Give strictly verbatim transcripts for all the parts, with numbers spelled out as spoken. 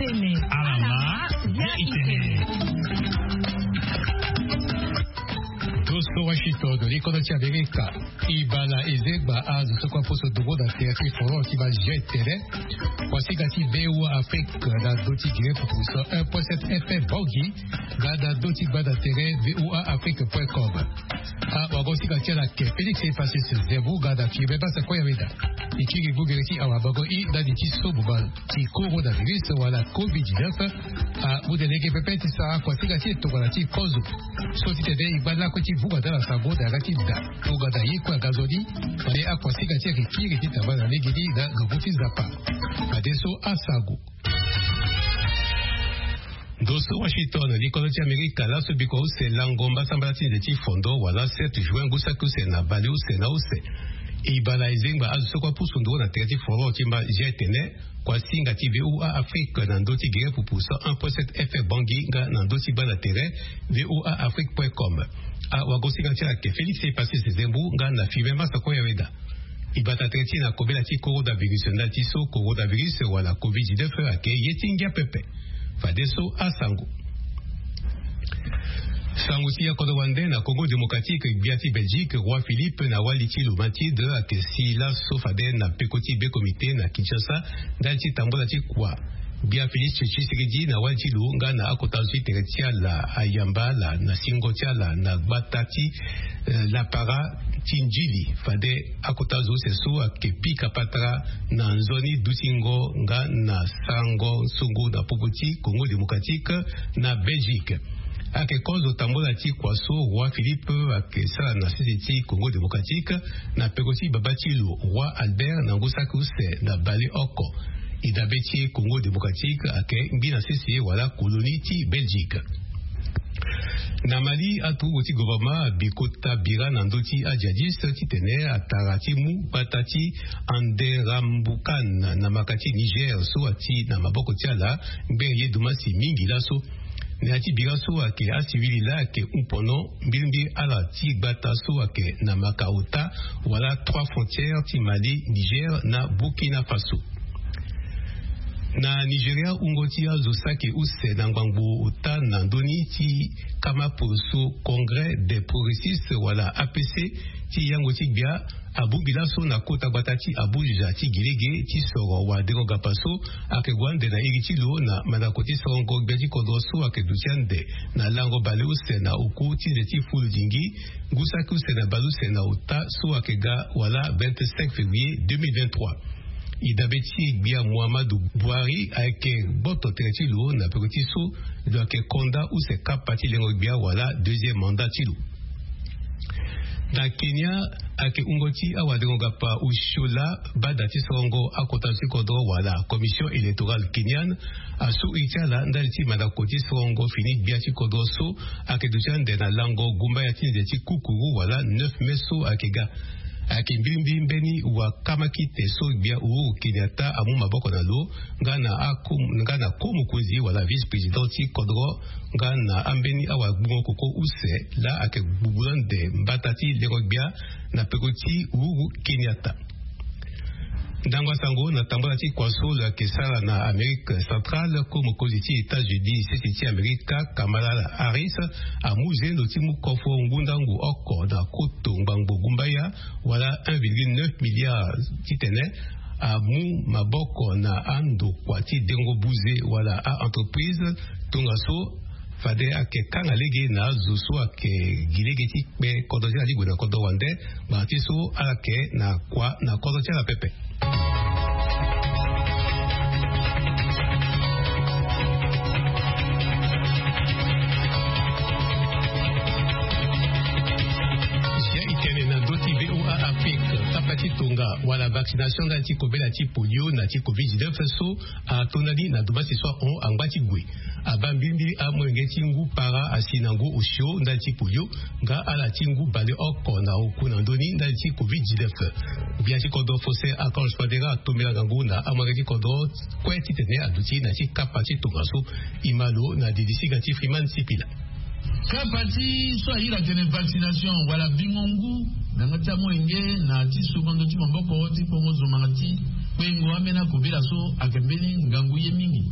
Alama ya itene. Toso Washington, likono ti Amerika. Ibala ezengba azo so kue aposo dogo na tere ti forum ti baa G T N. Kuasinga ti V O A Afrique na ndö ti gere pupuso un point sept F M Bangui, nga na ndö ti gbanda tere V O A Afrique point com. Awagosinga ti ala ayeke Félix Epassis Zembo, nga na Firmin Basa Koyaweda. E kiri ngu gere ti awabango i ndali ti sobo bale ti coronavirus wala covid dix-neuf. Amu de lege pepe ti sara kuasinga ti e tongana ti kozo. So ti tene e ngba lakue ti vunga na ala sango na yanga ti da tongana ye kue aga nzoni. Fade akuasinga ti e ayeke kiri ti tamba na legeni na ngangu ti Nzapa. Fadeso asango. Ndo so Washington, likono ti Amerika laso bikua use lango mbasambala ti nze ti fondo wala sept juin ngu saki use na baleuse na use. Ibala ezengba azo so kue apusu nduru na tere ti forum ti mba G T N. Kuasinga ti V O A Afrique na ndö ti gere pupu cent un point sept F M Bangui nga na ndö ti gbanda tere V O A Afrique point com. Awagosinga ti ala ayeke Félix Epassis Zembo nga na Firmin Basa Koyaweda. E bata tere ti e na kobela ti coronavirus ndali ti so coronavirus wala covid dix-neuf ayeke ye ti ngia pepe. Fadeso asango. Sango ti ya kodro wande na Congo Démocratique, gbia ti Belgique, roi Philippe na wali ti lo Mathilde ayeke si laso fade na peko ti be comité na Kinshasa ndali ti tambula ti kua. Gbia Félix Tshisekedi na wali ti lo nga na akota zo ti tere ti ala ayamba ala na singo ti ala na gbata ti, eh, Lapara ti Ndjili. Fade akota zo use so ayeke pika patara na nzoni dutingo nga na sarango songo na popo ti Congo Démocratique na Belgique. Ayeke kozo tambula ti kua so roi Philippe ayeke sara na sese ti Congo Démocratique na peko ti baba ti lo roi Albert na ngu saki use na baleoko. E dabe ti e Congo Démocratique ayeke ngbi na sese wala colonie ti Belgique. Na Mali, aturugu ti gouvernement abi kota bira na ndö ti ajihadiste titene atara ti mu gbata ti Anderambukan na maka ti Niger so ati na maboko ti ala ngbere ye dumasi mingi laso. Na ya ti bira so ayeke asivili laa ayeke hupono mbirimbiri ala ti gbata so ayeke na maka ota wala trois frontières ti Mali, Niger na Burkina Faso. Na Nigeria, wungo ti azo saki use na ngbangbo ota na ndö ni ti kama poroso Congrès des progressistes wala A P C ti yango ti gbia abongbi laso na kota gbata ti Abuja ti gi lege ti soro wadengo gapa so ayeke gue ande na iri ti lo na mandako ti sorongo gbia ti kodro so ayeke duti ande na lango baleuse na oku ti nze ti fulu dingi ngu saki use na baleuse na ota so ayeke ga wala vingt-cinq février deux mille vingt-trois. E dabe ti e gbia Muhammadu Buhari ayeke gboto tere ti lo na peko ti so lo ayeke konda use kapa ti lengo gbia wala deuxième mandat ti lo. Na Kenya, ayeke wungo ti awadengo gapa Oshola bada ti sorongo akota ti kodro wala Commission électorale kenyane asu iri ti ala ndali ti mandako ti sorongo fini gbia ti kodro so ayeke duti ande na lango gumbaya ti nze ti kukuru wala neuf mai so ayeke ga. Ayeke mbirimbiri mbeni wakamakite so gbia Uhuru Kenyatta amu maboko na lo nga na ako, nga na ko mokonzi wala vice-président ti kodro nga na ambeni awagbungo koko use laa ayeke gbugbula ande mbata ti lengo gbia na peko ti Uhuru Kenyatta. Ndango asango na tambula ti kua so lo ayeke sara na Amérique centrale, ko mokonzi ti États-Unis sese ti Amerika Kamala Harris amu zendo ti mu kofo ngundangu oko na koto ngbangbo gumbaya wala un virgule neuf milliard titene amu maboko na andokua ti dengo buze wala a-entreprise. Tongaso fade ayeke kanga lege na azo so ayeke gi lege ti kpe kodro ti ala ti gue na kodro wande. Ngbanga ti so ala yeke na kua na kodro ti ala pepe. Zia e tene na ndö ti V O A Afrique, kapa ti tonga wala vaccination ndali ti kobela ti polio na ti covid dix-neuf so atonda ni na domasi so ahon angba ti gue. Abaa mbirimbiri amolenge ti ngu para asi na ngu osio ndali ti polio nga ala ti ngu baleoko na oku na ndö ni ndali ti covid dix-neuf. Gbia ti kodro Faustin Archange Touadéra atombela ngangu na amolenge ti kodro kue titene aduti na ti kapa ti tongaso. E ma lo na didi singa ti Freeman Sipila. Kapa ti so ayeke tene vaccination wala bingo ngu na yanga ti amolenge na ti soba ndo ti maboko ti kpongo zo manga ti kpengo ambeni akobela so ayeke mbeni ngangu ye mingi.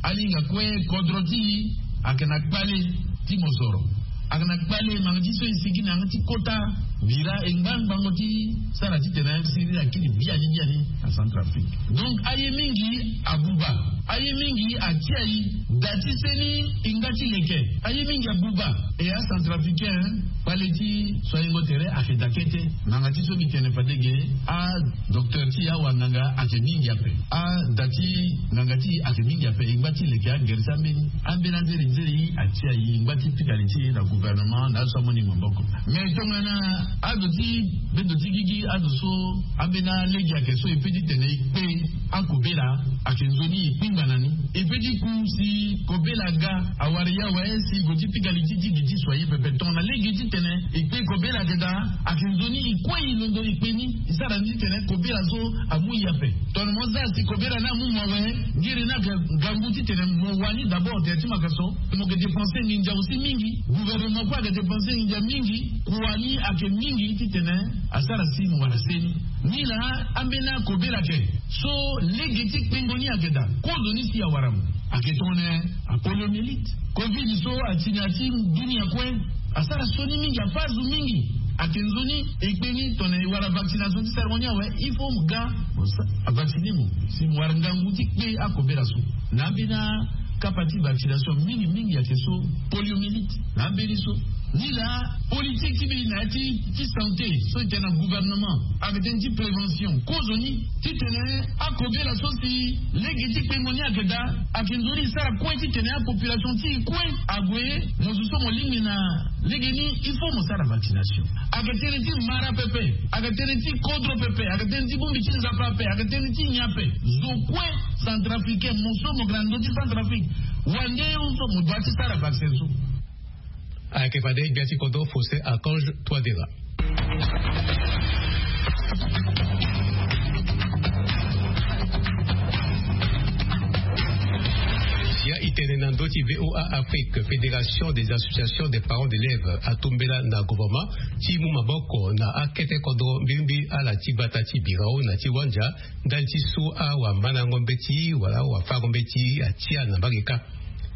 Alinga kue kodro ti e ayeke na kpale ti mosoro. Ayeke na kpale manga ti so e sigi na yanga ti kota bira e ngba ngbango ti sara titene siriri akiri biani biani na Centrafrique. Donc aye mingi abuba, aye mingi atia e da ti seni e nga ti leke. Aye mingi abuba. E acentrafricain, kpale ti so ayengo tere ayeke da kete. Nanga ti so mbi tene fade ge, adocteur ti e, awanganga ayeke mingi ape. Ada ti nganga ti e ayeke mingi ape. E ngba ti leke agere ti ambeni, ambeni anzeri nzeri atia e ngba ti pika li ti e na gouvernement na azo so amoni maboko. Mais tongana azo ti bedo ti gigi, azo so ambeni alege ayeke so e pe titene e kpe akobela, ayeke nzoni e kpingba na ni. E pe ti ku si kobela aga awara e awe si e gue ti pika li ti ti gi ti so aye pepe. Tongana lege titene e kpe kobela ayeke daa, ayeke nzoni e kue e londo e kpe ni, e sara ni titene kobela so amu e ape. Tongana mo zia si kobela ni amu mo awe, ngere ni ayeke ngangu titene mo wani d'abord tere ti makaso. Mo yeke dépenser nginza aussi mingi. Gouvernement kue ayeke dépenser nginza mingi. Kua ni ayeke mingi titene asara si mo wara seni. Nilaa ambeni akobela ayeke so lege ti kpengo ni ayeke daa. Kozo ni si awara mo ayeke tongana apoliomyélite. Covid so ati na ya ti dunia kue. Asara sioni mingi, afa azo mingi. Ayeke nzoni e kpe ni tongana e wara vaccination ti sara mo ni awe, il faut mo ga mo sa- avacciner mo si mo wara ngangu ti kpe akobela so. Na ambeni akapa ti vaccination mingi mingi ayeke so poliomyélite. Na ambeni so nilaa politique ti mbi na ya ti, ti santé so e tene na gouvernement ayeke tënë ti prévention. Kozo ni titene akobela so si lege ti kpengo ni ayeke daa, ayeke nzoni e sara kue titene apopulation ti e kue ague. Mo zo so mo lingbi na lege ni, il faut mo sara vaccination. Ayeke tënë ti mara pepe, ayeke tënë ti kodro pepe, ayeke tënë ti bongbi ti Nzapa ape, ayeke tënë ti nyen ape. Zo kue centrafricain, mo so mo yeke na ndö ti Centrafrique, wande so mo doit ti sara vaccin so. Ayeke fade gbia ti kodro Faustin Archange Touadéra. Sia e tene na ndö ti VOA Afrique, Fédération des associations des parents d'élèves atombela na gouvernement ti mu maboko na akete kodro mbirimbiri ala ti gbata ti birao na ti wandia, ndali ti so awamandango mbeti wala awafango mbeti atia na mbage kâ.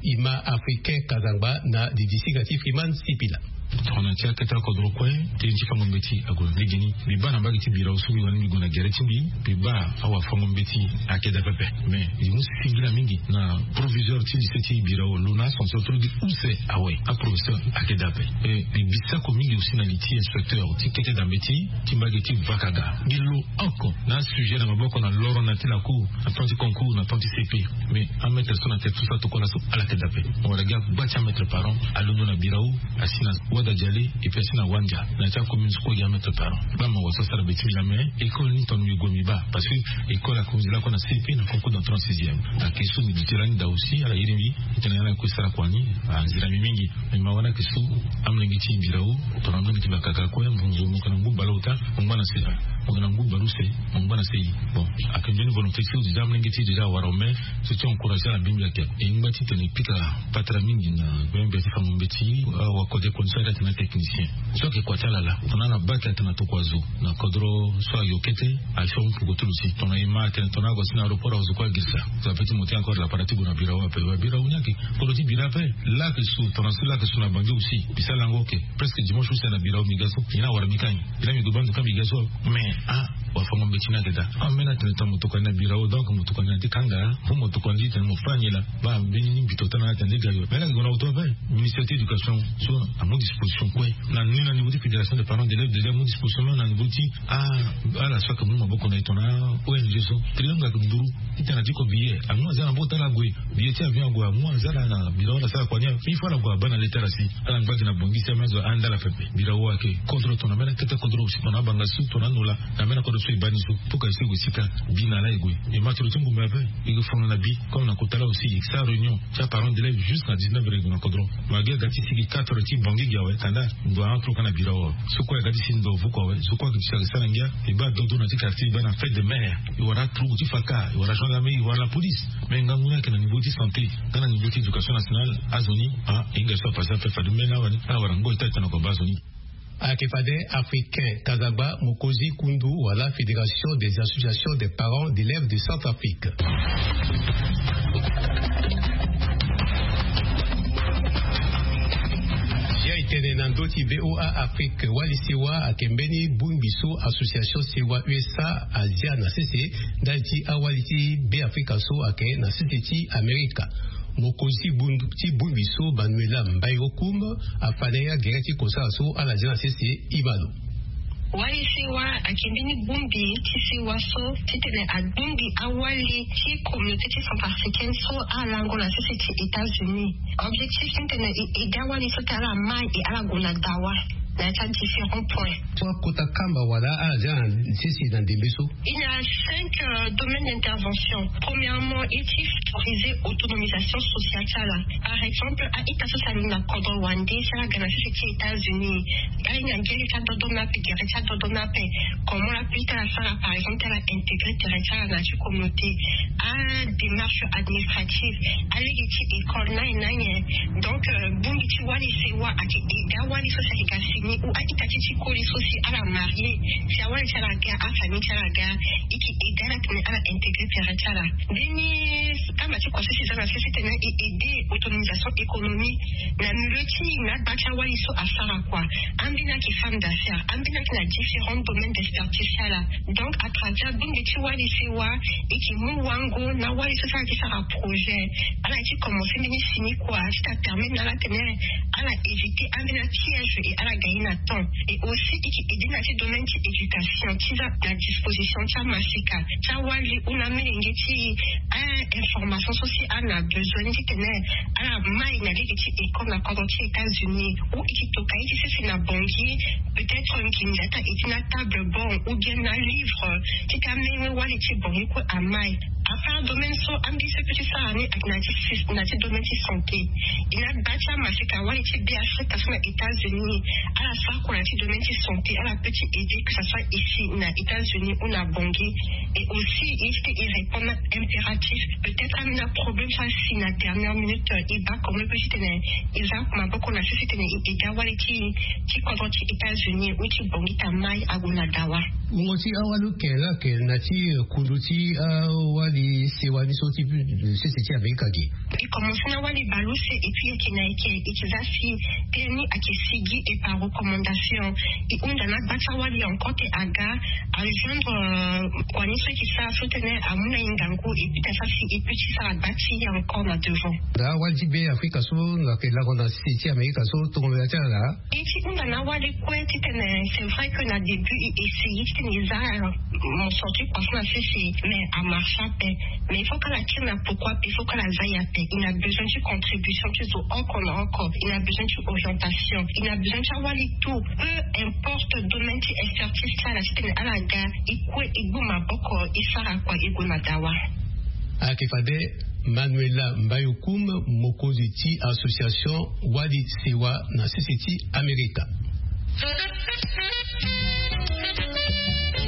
Ima Africain Kazangba na didisiga ti Freeman Sipila. Tongana ti akete akodro kue, tënë ti fango mbeti ague na legeni. Mbi baa na mbage ti birao so mbi wani mbi gue na gere ti mbi, mbi baa awafango mbeti ayeke daa pepe. Mais mbi mu singila mingi na proviseur ti lycée ti birao, lo na ascenseur ti lo gi use awe. Aprofesseur ayeke daa ape. E mbi bi sako mingi aussi na li ti inspecteur ti kete daa mbeti ti mbage ti vakaga. Mbi lo oko na asujet na maboko na loro na ya ti lacour, na temps ti concours, na temps ti C P. Mais amaître so na tene ti so atokua laso ala yeke daa ape. Mo wara gi agba ti amaître parent alondo na birao, asi na wada diale, et puis asi na wandia na ya ti acommune so kue gi amaître parent. Baa mawa so asara be ti mbi laa, mais école ni tongana mbi gue mbi baa, parce que école akonzi lakue na C P na concours d'entrée en sixième. Ayeke so mbi duti lani daa aussi, ala iri mbi titene ala kue sara kua ni. Anzira mbi mingi. Mais mawa ni ayeke so, amolenge ti birao, tongana mbi yeke bakaka kue, mo zo mo yeke na ngu baleota, mo ngba na se. Mo yeke na ngu baleuse, mo ngba na se. Bon, ayeke mbeni volonté ti so déjà amolenge ti déjà awara, mais so ti encourager ala mbirimbiri ayeke. E ngba titene e pika patara mingi na gbia ti fango mbeti, awakode koni so ayeke atene atechnicien. So ayeke kua ti ala laa, tongana ala baa ti atene atokua zo na kodro so ayo kete, aso mpuku ti lo si. Tongana e ma atene tongana ague si na aéroport azo kue agirisa. Zo ape ti monter encore lapara ti gue na birao ape. Wa birao ni ayeke kodro ti bira ape. Laa ayeke so, tongana so laa ayeke so na Banjul aussi. Mbi sara lango oke. Presque dimanche use na birao mbi ga so. Nyen awara mbi kâ nyen? Mbi laa mbi gue baa ndo kâ mbi ga so. Mais ah, wafango mbeti ni ayeke daa. Ambeni atene tongana mo tokua ni na birao, donc mo tokua ni na ti kanga. Fo mo tokua ni titene mo fâ ni laa. Baa mbeni ni mbi to tana atene nde ga yo. Mais laa ayeke gue na oto ape. Ministère ti éducation so amu disposition kue. Na ni na niveau ti fédération des parents d'élèves déjà amu disposition même na niveau ti Ah, ala so ayeke mu maboko na e tongana O N G so. Triangle ayeke nduru. Titene atiko billet. Amu aza na maboko ti ala ague. Billet ti avion ague, amu aza ala na bira wala asara kua ni. Il faut ala gue abaa na lettre asi. Ala ngba gi na Bangui si amu azo anda ala pepe. Birao ayeke kodro tongana ambeni akete kodro aussi tongana abanga so tongana anola. Na ambeni akodro so e baa ni so. Pour que e so e gue sika. Bi na ala e gue. E ma ti lo ti ngumbe ape. E gue fongana na bi. Comme na kota laa aussi e sara réunion ti aparent d'élève jusqu'à dix-neuf heures e gue na kodro. Magi aga ti sigi quatre heures ti Bangui gi awe, kanda ndo a entre kue na birao awe. So kue aga ti si ndo vuku awe, so kue aga ti sara ngia. E baa dodo na ti quartier, e baa na fête de mère. E wara aturugu ti faka, e wara gendarmerie, e wara la police. Mais ngangu ni ayeke na niveau ti santé, nga na niveau ti éducation nationale, azo ni, ah, e hinga so apase ape fade mbeni awara ni, awara ngoi ti atene ako baa azo ni. Ayeke fade Africain Kazagba, mokonzi kundu wala Fédération des associations des parents d'élèves de Centrafrique. Ti VOA Afrique, wali sewa ayeke mbeni bongbi so association sewa USA azia na sese ndali ti awali ti Beafrika so ayeke na sese ti Amerika. Mokonzi ti bongbi so Manuela Mbayokoum afa na ye agere ti kosala so ala zia na sese. Imano. Wali sewa ayeke mbeni bongbi ti sewa so titene abongbi awali ti communauté ti centrafricaine so alango na sese ti États-Unis. Objectif titene e aidé awali so ti ala mai e ala gue na dawa na ya ti adifférent point. Kota kamba wala ala zia na sese na ndembe so. Il y a cinq domaines d'intervention. Premièrement, il faut favoriser autonomisation sociale ti ala. Par exemple, a-ita so si alingi na kodro wande si ala ga na sese ti États-Unis, ala hinga gere ti adodo ni ape, gere ti adodo ni ape. Comment la ita ala sara, par exemple, ti ala intégré tere ti ala na ya ti communauté, adémarche administrative, alege ti école, nani nani. Donc bongbi ti wali sewa ayeke aidé awali so si ayeke ga fini ou a-ita ti ti koli so si ala marié, si awali ti ala ga, afamille ti ala ga, e yeke aidé ala titene ala intégré tere ti ala. Mbeni kamba ti kua so si za na sese titene e aidé autonomisation économique na milieu ti na agba ti awali so asara kua. Ambeni ayeke femme d'affaires, ambeni ayeke na différents domaines d'expertise ti ala. Donc à travers bongbi ti wali sewa, e yeke mu wango na awali so si ala yeke sara projet, ala yeke ti commencé mbeni fini kua ti ta permettre na ala titene ala éviter ambeni apiège et ala gagner na temps. Et aussi e yeke aidé na ti domaine ti éducation ti za na disposition ti amasika ti awali ou na amolenge ti a information so si ala na besoin ni titene ala mai na lege ti école na kodro ti États-Unis, ou e yeke toka ye ti sese na Bangui, peut-être nginza ti aidé na table banc ou bien na livre ti ta amenge wali ti Bangui kue amai. Après domaine so ambeni so e peut ti sara ni ayeke na ti domaine ti santé. E na gba ti amasika wali ti Beafrika so na États-Unis, ala sara kua na ti domaine ti santé, ala peut ti aidé que ça soit ici na États-Unis ou na Bangui. Et aussi e ti e répondre na impératif, peut-être ambeni aproblème so asi na dernière minute, e baa comment e peut ti tene e za maboko na sese titene e aidé awali ti ti kodro ti États-Unis ou ti Bangui ti amai ague na dawa. Mungo ti awali oke la ayeke na ti kundu ti awali sewa ni so ti sese ti Amerika ge. E commencé na wali baleuse et puis e yeke na e yeke e yeke za si tënë ni ayeke sigi et par recommandation. E hunda na agba ti awali encore ti aga a rejoindre kua ni so e yeke sara so tënë amu na e ngangu et puis ta sara si e peut ti sara gba ti e encore na devant. Awali ti Beafrika so ayeke lango na sese ti Amerika so tongana ya ti ala. E ti hunda na awali kue titene c'est vrai que na début e essayer titene e za mo sorti kua so na sese, mais amarche ape. Mais il faut que ala tire na pourquoi ape, il faut que ala za ye ape. E na besoin ti contribution ti zo oko na oko. E na besoin ti orientation, e na besoin ti awali tout, peu importe domaine ti expertise ti ala titene ala ga e kue e gbu maboko e sara kua e gue na dawa. Ayeke fade Manuela Mbayokoum, mokonzi ti association wali sewa na sese ti Amerika.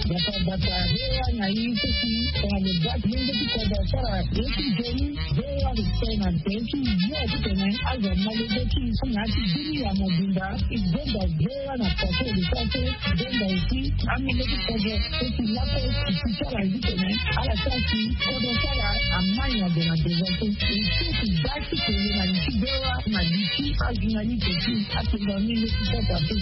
Bata bata hewa na ye so si tongana lo baa ti lenge ti kodro asara ye ti nzoni. Hewa lo sara na nze ti yo titene azo amalege ti so na ya ti bini ya mobimba. E benda hewa na kua so lo sara so. Benda aussi amolenge ti kodro so si laso e ti sara ye titene ala sara si kodro ti ala amai na gue na devant so. E so e ti baa ti kele na li ti hewa na li ti ajournaliste ti akenda ni leti kota so.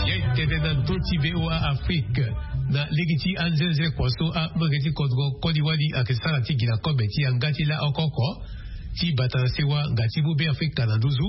Ye tene na ndö ti VOA Afrique na lege ti anzenze kua so amolenge ti kodro koli wali ayeke sara ti gi na kobe ti yanga ti laoko oko ti bata na sewa nga ti mu Beafrika na nduzu.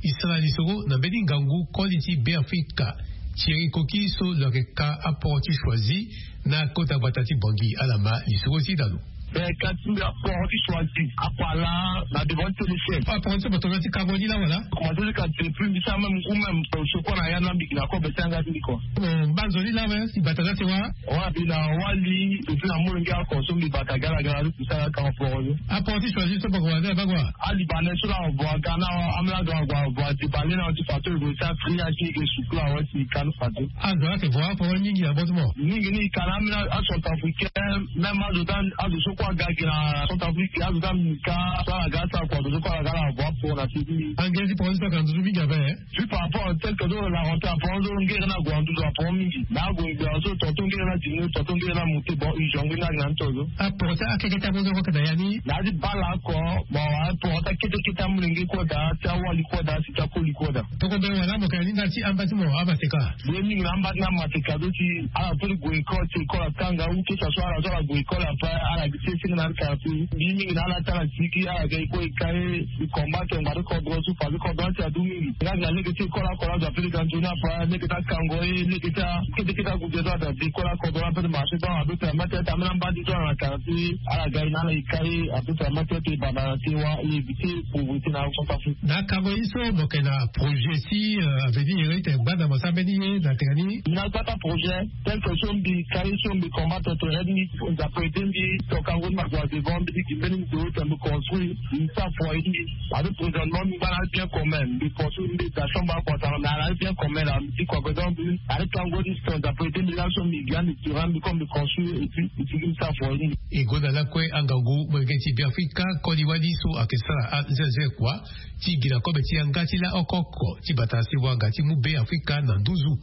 E sara lisoro na mbeni ngangu koli ti Beafrika Thierry Koki so lo yeke ka aporo ti Choisy na kota gbata ti Bangui. Ala ma lisoro ti dalo. Mais ka ti mbi aporo ti Choisy akua laa na devant ti T L C M. Aporo ti bato na ti kango ni laa wala? Commencé ti ka depuis mbi sara même ou même sokua na ya na mbi gi na kobe ti yanga ti mbi kua. Mo baa nzoni laa me si bata na sewa. Wa mbi na wali mbi na molenge oko so mbi bata gala gala ti sara ka aporo ni. Aporo ti Choisy so bako wala bako wa? Alibanais so na vo aga na ambeni aga vo vo ati bale na ti fato e gue ti akri asi e ke sukula awe ti kanu fato. Azo ayeke vo aporo mingi na botimo. Mingi ni e ka na ambeni acentrafricain même azo ti azo so Kua ga gi na Centrafrique, azo ga mika so ala ga asara kua dozo kua ala ga ala vo apo na siki. Ange ti poro ti so aka nduzu mingi ape. Juste par rapport à tel que donc la rentrée aporo, donc ngere na gue na nduzu aporo mingi. Na ague ngbe so tonton ngere na diminuer, tonton ngere na monter, bon, urgent ngbe na gue na ntozo. Aporo ti akekete akozo kue na ya ni. Na ya ti bale oko, bon, aporo ti akekete amolenge kue daa, ti awali kue daa, si ti akoli kue daa. Toko be wala mo ka ni nda ti amba ti mo amaseka. Ye mingi na amba ti na amaseka do ti ala peut gue école, ti école akanga, ou que ça soit ala so ala gue école après, ala gi ti esenge na ala quartier. Ye mingi na ala ti ala siki, ala ga e kue e ka e. E combattre ngbari kodro so, fade kodro ti adu mingi. Nga nga lege ti école akola azo ape lege anzoni ape, lege ti akango e, lege ti a, kete kete ague zo ape, école akodro ape de marché, donc abe permettre ti amena mbadi so na quartier, ala ga e na ala e ka e, abe permettre ti e banda na te wa, e éviter pauvreté na Centrafrique. Na akango ye so mo yeke na projet ti, euh, avenir, e yeke gbanda mo sara mbeni ye na tene ni. Na gbata projet, tel que so mbi ka ye so mbi combattre tere ni, Nzapa aidé mbi, toka ngoni ma gue devant, mbi gi mbeni ndo ti mbi construire, mbi sara foyer ti mbi. Ado présentement mbi ngba na bien commun, mbi construire mbi da chambre à consommer, mais ala bien commun la, mbi ti kua gue donc mbi, ado tango ni so Nzapa aidé mbi laso mbi gi ande tirant mbi comme mbi construire et puis mbi ti gi mbi sara foyer ti mbi. E gonda lakue angangu molenge ti Beafrika koli wali so ayeke sara azeaze kua ti gi na kobe ti yanga ti la oko oko ti bata si wanga ti mu Beafrika na nduzu.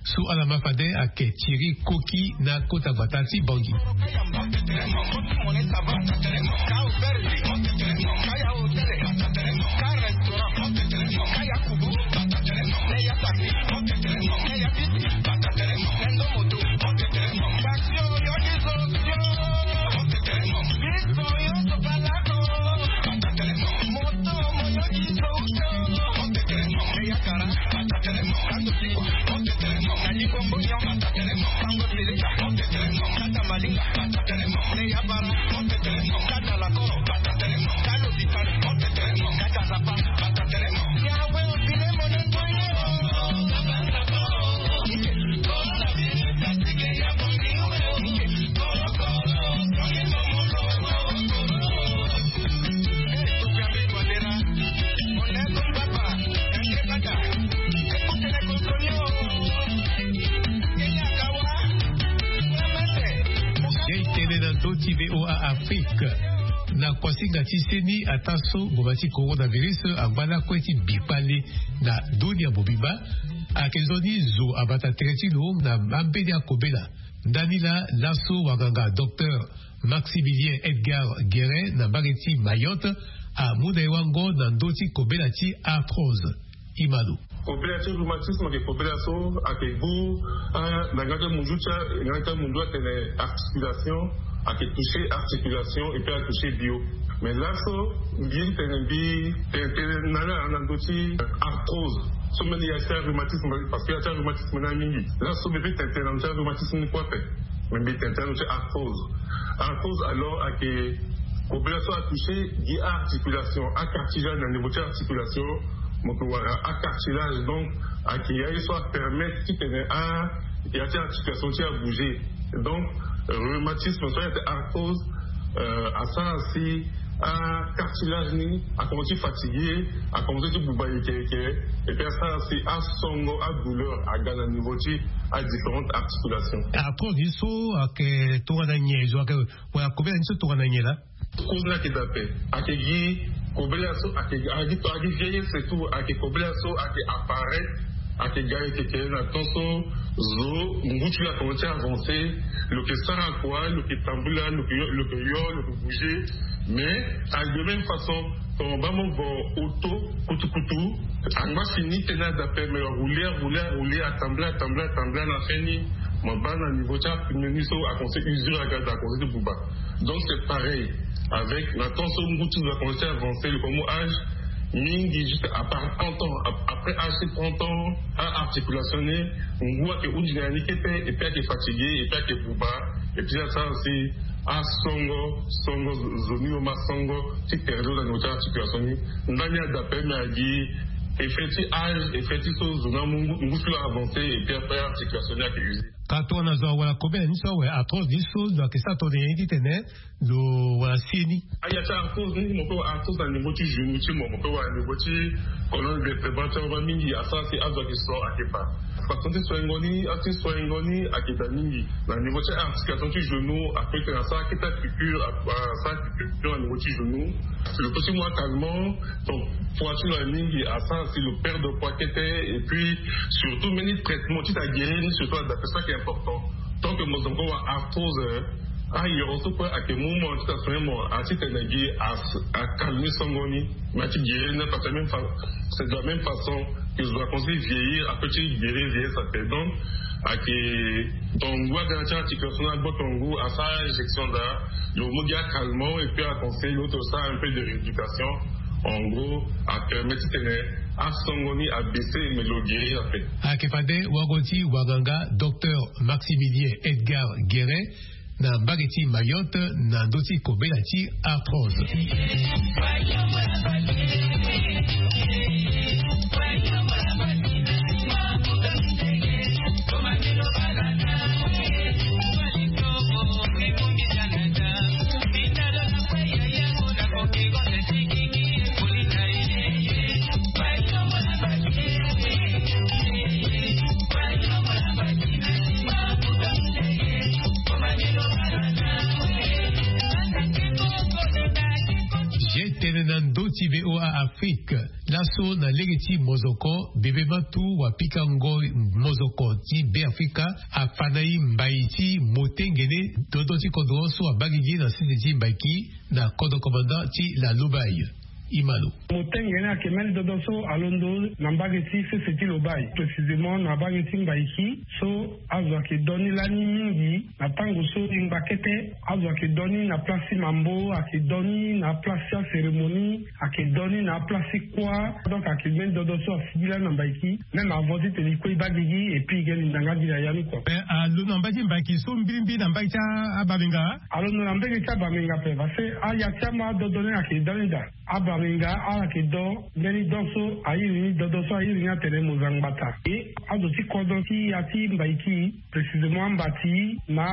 So ala ma fade ayeke Thierry Koki na kota gbata ti Bangui. Ye tene na ndö ti V O A Afrique. Na kuasinga ti seni, ataa so ngboma ti coronavirus angba lakue ti bi kpale na dunia mobimba, ayeke nzoni zo abata tere ti lo na ambeni akobela. Ndani laa, laso wanganga docteur Maximilien Edgar Guérin na mbage ti Mayotte amu na e wango na ndö ti kobela ti arthrose. Imano. Kobela ti rhumatisme ayeke kobela so ayeke gu, ah, na yanga ti amunzu ti a, yanga ti amunzu atene articulation, ayeke toucher articulation et puis atoucher bio. Mais laso mbi tene mbi tene tene na ala na ndö ti arthrose. So mbeni ya ti rhumatisme, parce que ya ti rhumatisme ni amingi. Laso mbi peut tene tene na ndö ti rhumatisme ni kue ape. Mais mbi tene tene na ndö ti arthrose. Arthrose alors ayeke kobela so atoucher gi articulation, acartilage na niveau ti articulation. Mo yeke wara acartilage, donc ayeke ya ye so apermettre titene a ya ti articulation ti abouger. Donc rhumatisme so ayeke arthrose, euh, asara si acartilage ni akomanse ti fatiguer, akomanse ti buba yeke yeke. Et puis asara si asongo adouleur aga na niveau ti adifférentes articulations. Arthrose ni so ayeke tongana nyen? Zo ayeke wala kobela ni so tongana nyen laa? Cause ni ayeke daa ape. Ayeke gi kobela so ayeke, ayeke gi, ayeke gi vieillesse et tout, ayeke kobela so ayeke apparaître, ayeke ga yeke yeke na temps so zo ngu ti lo akomanse ti avancer, lo yeke sara kua, lo yeke tambula, lo yeke yo, lo yeke yo, lo yeke bouger. Mais ayeke de même façon, tongana mo baa mo vo auto kutukutu, angba fini tënë daa ape, mais rouler, rouler, rouler, atambula, atambula, atambula, na fin ni mo baa na niveau ti apneu ni so akomanse usure aga daa, akomanse ti buba. Donc c'est pareil avec na temps so ngu ti zo akomanse ti avancer, lo komo âge mingi, juste à part trente ans, ap-, après âge ti trente ans, a-articulation ni ngu ayeke hunzi na ya ni kete, et puis ayeke fatigué, et puis ayeke buba, et puis asara si asongo, songo zo ni lo ma songo ti tere ti lo na niveau ti articulation ni. Ndani adaa ape, mais agi Effet ti âge, effet ti so zo na mu ngu- ngu ti lo avancé et puis après articulation ni ayeke usé. Ka tongana zo awara kobela ni so awe arthrose ni so zo ayeke sara tongana nyen titene lo wara si ni? Aya ti arthrose ni mo peut wara arthrose na niveau ti genou ti mo, mo peut wara na niveau ti colonne vertébrale ti awe mingi asara si azo ayeke so ayeke baa. Façon ti soingo ni, a ti soingo ni ayeke daa mingi. Na niveau ti articulation ti genou, ape tene asara kete piqûre, asara piqûre na niveau ti genou. Lo peut ti mu acalmant, donc poids ti lo aye mingi, asara si lo perdre poids kete. Et puis surtout mbeni traitement ti ta guérir ni surtout adapté, ça qui est important. Tant que mo zo encore wara arthrose, ayoro so kue ayeke mu mo ti ta soin mo, a ti tene gi as- acalmé songo ni. Mais a ti guérir ni parce que même fa- c'est de la même façon que zo aconseille vieillir, ape ti guérir vieillesse ape. Donc ayeke, donc ngu aga na ti articulation ni agboto ngu, asara injection daa, lo mu gi acalmant et puis aconseille lo ti lo sara un peu de rééducation. En gros apermet titene asongo ni abaissé mais lo guérir ape. Ayeke fade wago ti wanganga docteur Maximilien Edgar Guérin na mbage ti Mayotte na ndö ti kobela ti arthrose. Ye tene na ndö ti V O A Afrique. Laso na lege ti mozoko bebe matu wa pika ngoi mozoko ti Beafrika afa na e mbai ti motengene dodo ti kodro so abaa gigi na sese ti mbaiki na kodro komanda ti la Lobaye. Imalo. Motengene ayeke mbeni dodo so alondo na mbage ti sese ti Lobaye, précisément na mbage ti mbaiki so azo ayeke do ni lani mingi. Na tango so e ngba kete azo ayeke do ni na place ti mambo, ayeke do ni na place ti acérémonie, ayeke do ni na place ti kuâ. Donc ayeke mbeni dodo so asigi lani na mbaiki. Même avant titene e kue e baa gigi et puis e ge linda nga gi na ya ni kua. Alondo na mbage ti mbaiki so mbirimbiri na mbage ti abamenga? Alondo na mbage ti abamenga ape parce que aya ti ama adodo ni ayeke do ni daa. Abamenga ala yeke do mbeni do so a iri ni dodo so a iri ni atene moza ngbata. E azo ti kodro ti ya ti mbaiki, précisément ambati na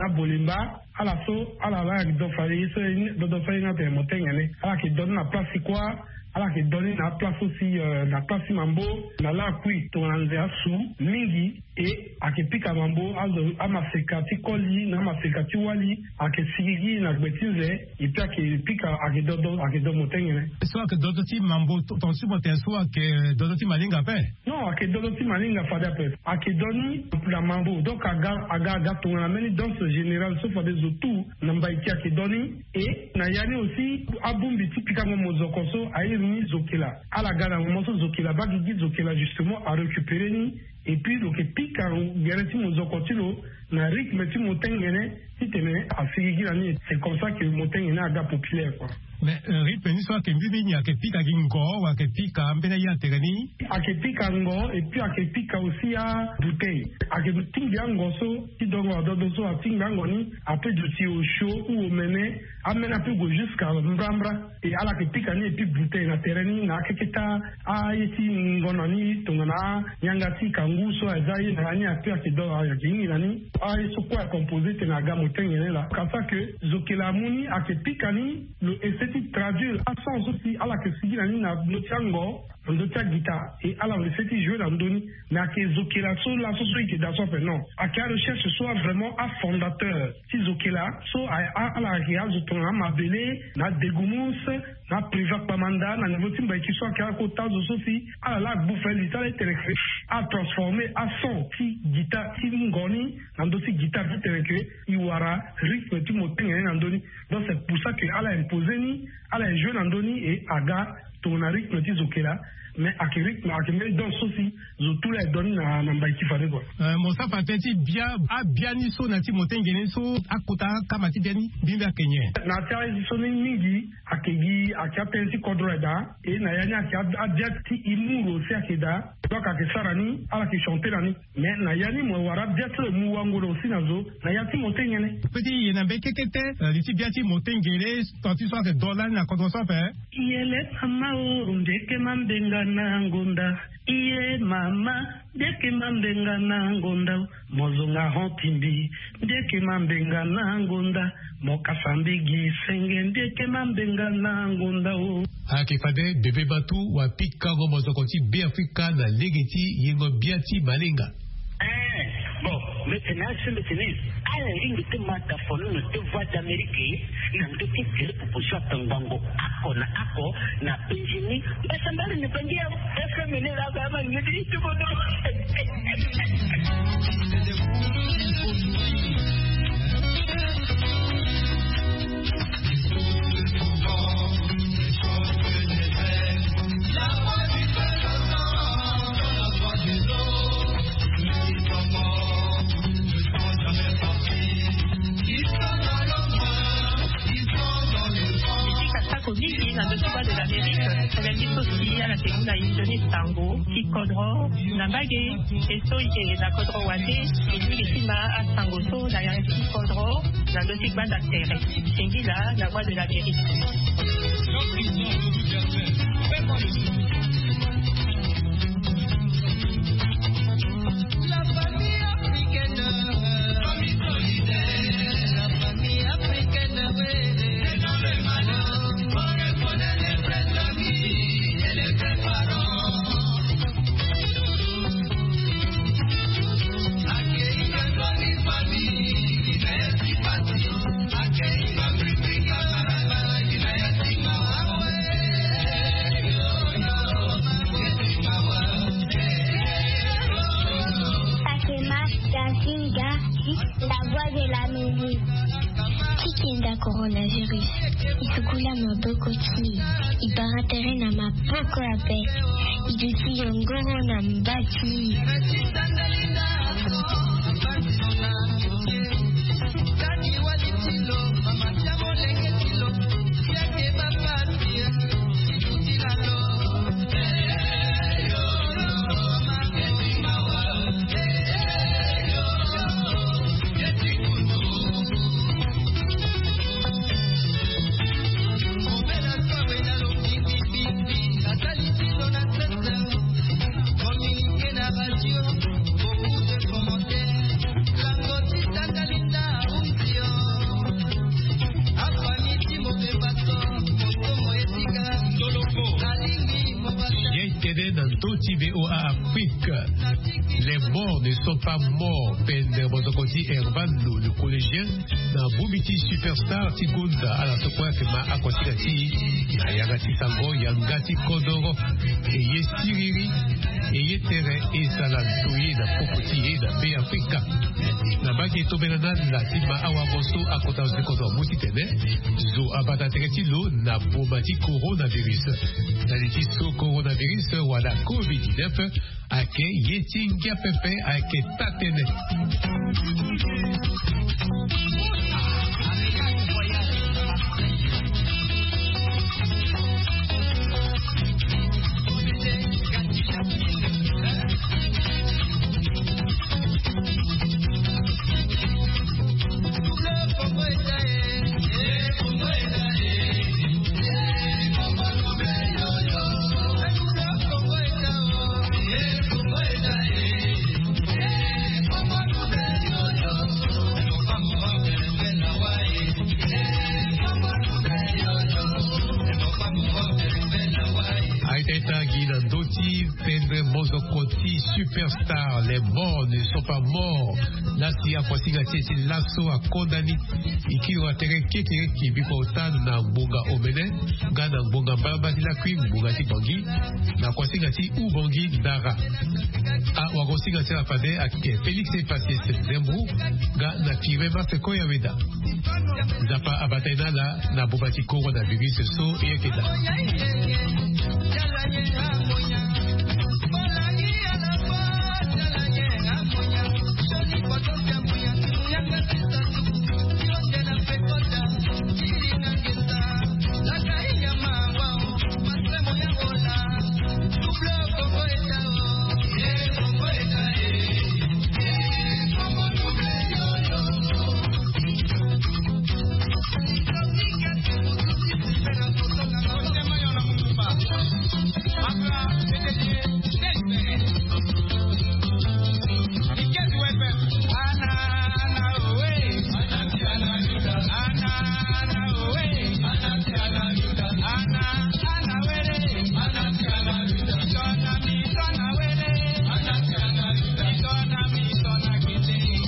abolemba, ala so ala la yeke do fade ye so dodo so a iri ni atene motengene. Ala yeke do ni na place ti kuâ, ala yeke do ni na place so si na place ti mambo, na lakui tongana nze asu mingi. E ayeke pika mambo azo amaseka ti koli na amaseka ti wali ayeke sigigi na gbe ti nze. E pe ayeke pika ayeke dodo ayeke do motengene. So ayeke dodo ti mambo tonga ti mo tene so ayeke dodo ti malinga ape? Non, ayeke dodo ti malinga fade ape. Ayeke do ni na mambo donc aga aga aga tongana mbeni danse générale so fade zo tout na mbaiki ayeke do ni. E na ya ni aussi abongbi ti pikango mozoko so a iri ni zokela. Ala ga na moment so zokela baa gigi, zokela justement arécupéré ni. Et puis lo yeke pika gere ti mozoko ti lo na rythme ti motengene titene asigigi na ni. C'est comme ça que motengene aga populaire kua. Mais rythme ni so ayeke mbirimbiri ni ayeke pika gi ngo wa ayeke pika mbeni aye atere ni? Ayeke pika ngo et puis ayeke pika aussi abouteille. Ayeke tingbi ango so ti dongo adodo so atingbi ango ni ape duti osio ou omene. Amene ape gue jusqu'à mbrambra. E ala yeke pika ni et puis bouteille na tere ni na akeketa aye ti ngonda ni tongana anyanga ti kangu so aza ye na ya ni ape ayeke do ayeke hingi na ni. Aye so kue acomposé tene aga motengene laa. Ka sa que zokela amu ni ayeke pika ni lo essaie ti traduire ason so si ala yeke sigi na ni na ndö ti ango, na ndö ti agita. E ala lo essaie ti jouer na ndö ni. Mais ayeke zokela so laso so e yeke daa so ape non. Ayeke arecherche so avrément afondateur ti zokela so ala ayeke azo tongana amabele na adegumus na apriva kpamanda na niveau ti mbaiki so ayeke akota azo so si ala la agbu fali ti ala ti tene ke atransforme ason ti gita ti ngo ni na ndö ti gita ti tene ke e wara rythme ti motengene na ndö ni. Donc c'est pour ça que ala impose ni, ala ejoue na ndö ni e aga tongana rythme ti zokela. Mais ayeke rythme ayeke mbeni danse so si zo tout la e do ni na mbaiki fade kua. Mo sara fa tënë ti bia abia ni so na ya ti motengene so akota akama ti bia ni mbi mbi ayeke nyen? Na ya ti aye so ni mingi ayeke gi Ayeke atënë ti kodro ayeke daa. E na ya ni ayeke abia ti e mu lo si ayeke daa. Donc ayeke sara ni ala yeke chanter na ni. Mais na ya ni mo wara abia ti lo e mu wango lo aussi na zo. Na ya ti mo te nyen? Pe ti ye na mbekekete na li ti bia ti mo te ngere. Tant ti so ayeke do lani na kodro so ape. Yele mama o ndeke mambenga na ngonda. Iye mama ndeke mambenga na ngonda. Mo zonga hon timbi ndeke mambenga na ngonda. Mo kasa mbegi senge ndeke mambenga na ngonda o. Ayeke fade bebe batu wa pikango mozoko ti Beafrika na lege ti yengo bia ti malenga. Eh, bon, mete na asembe tene ala ringi te mata fono na te voix d'Amérique. Na ndö ti tele proposition atangbango ako na ako na penzi ni. Mbasa mbali ni penzi ya F M ni la ba ma ni ti ko do. Atako mingi na ndö ti Voix de l'Amérique, tënë ti so si ala yeke mu na inzo ni sango ti kodro na mbage. E so e yeke na kodro wande, e lingbi ti ma asango so na yanga ti kodro na ndö ti gbanda tere. Singila na Voix de l'Amérique. La famille africaine, famille solidaire, la famille africaine, oui. C'est dans le malheur qu'on reconnaît les vrais amis et les vrais parents. Fatima Gazinga, la voix de l'Amérique. Ti kenda coronavirus, e sukula maboko ti e, e bara tere na maboko ape, e duti yongoro na mba ti e. Ye tene na ndö ti V O A Afrique. Les morts ne sont pas morts, pendre mozoko ti Hervano, le collégien, na bongbi ti Superstar ti gonda ala so kue ayeke ma akosinga ti e na yanga ti sango yanga ti kodoro. E ye siriri, e ye tere, e sara ndoye na popo ti e na Beafrika. Na mbage tongana ala ti ma awango so akota zo ti kodro amu titene zo abata tere ti lo na boma ti coronavirus. Na li ti so coronavirus wala covid dix-neuf ayeke ye ti ngia pepe ayeke taa-tënë. Aita ita gi na ndö ti pendre mozoko ti Superstar, les morts ne sont pas morts. Lasi akosinga ti e ti laso akonda ni. E kiri wa tere kekereke biko ota na ngbonga omene nga na ngbonga mbalamba ti lakui ngbonga ti Bangui na kosinga ti Ubangui Dara. Awakosinga ti ala fade ayeke Félix Epasis Zembrou nga na Firmin Marc Koyaweda. Nzapa abata e na ala na boma ti coronavirus so e yeke daa.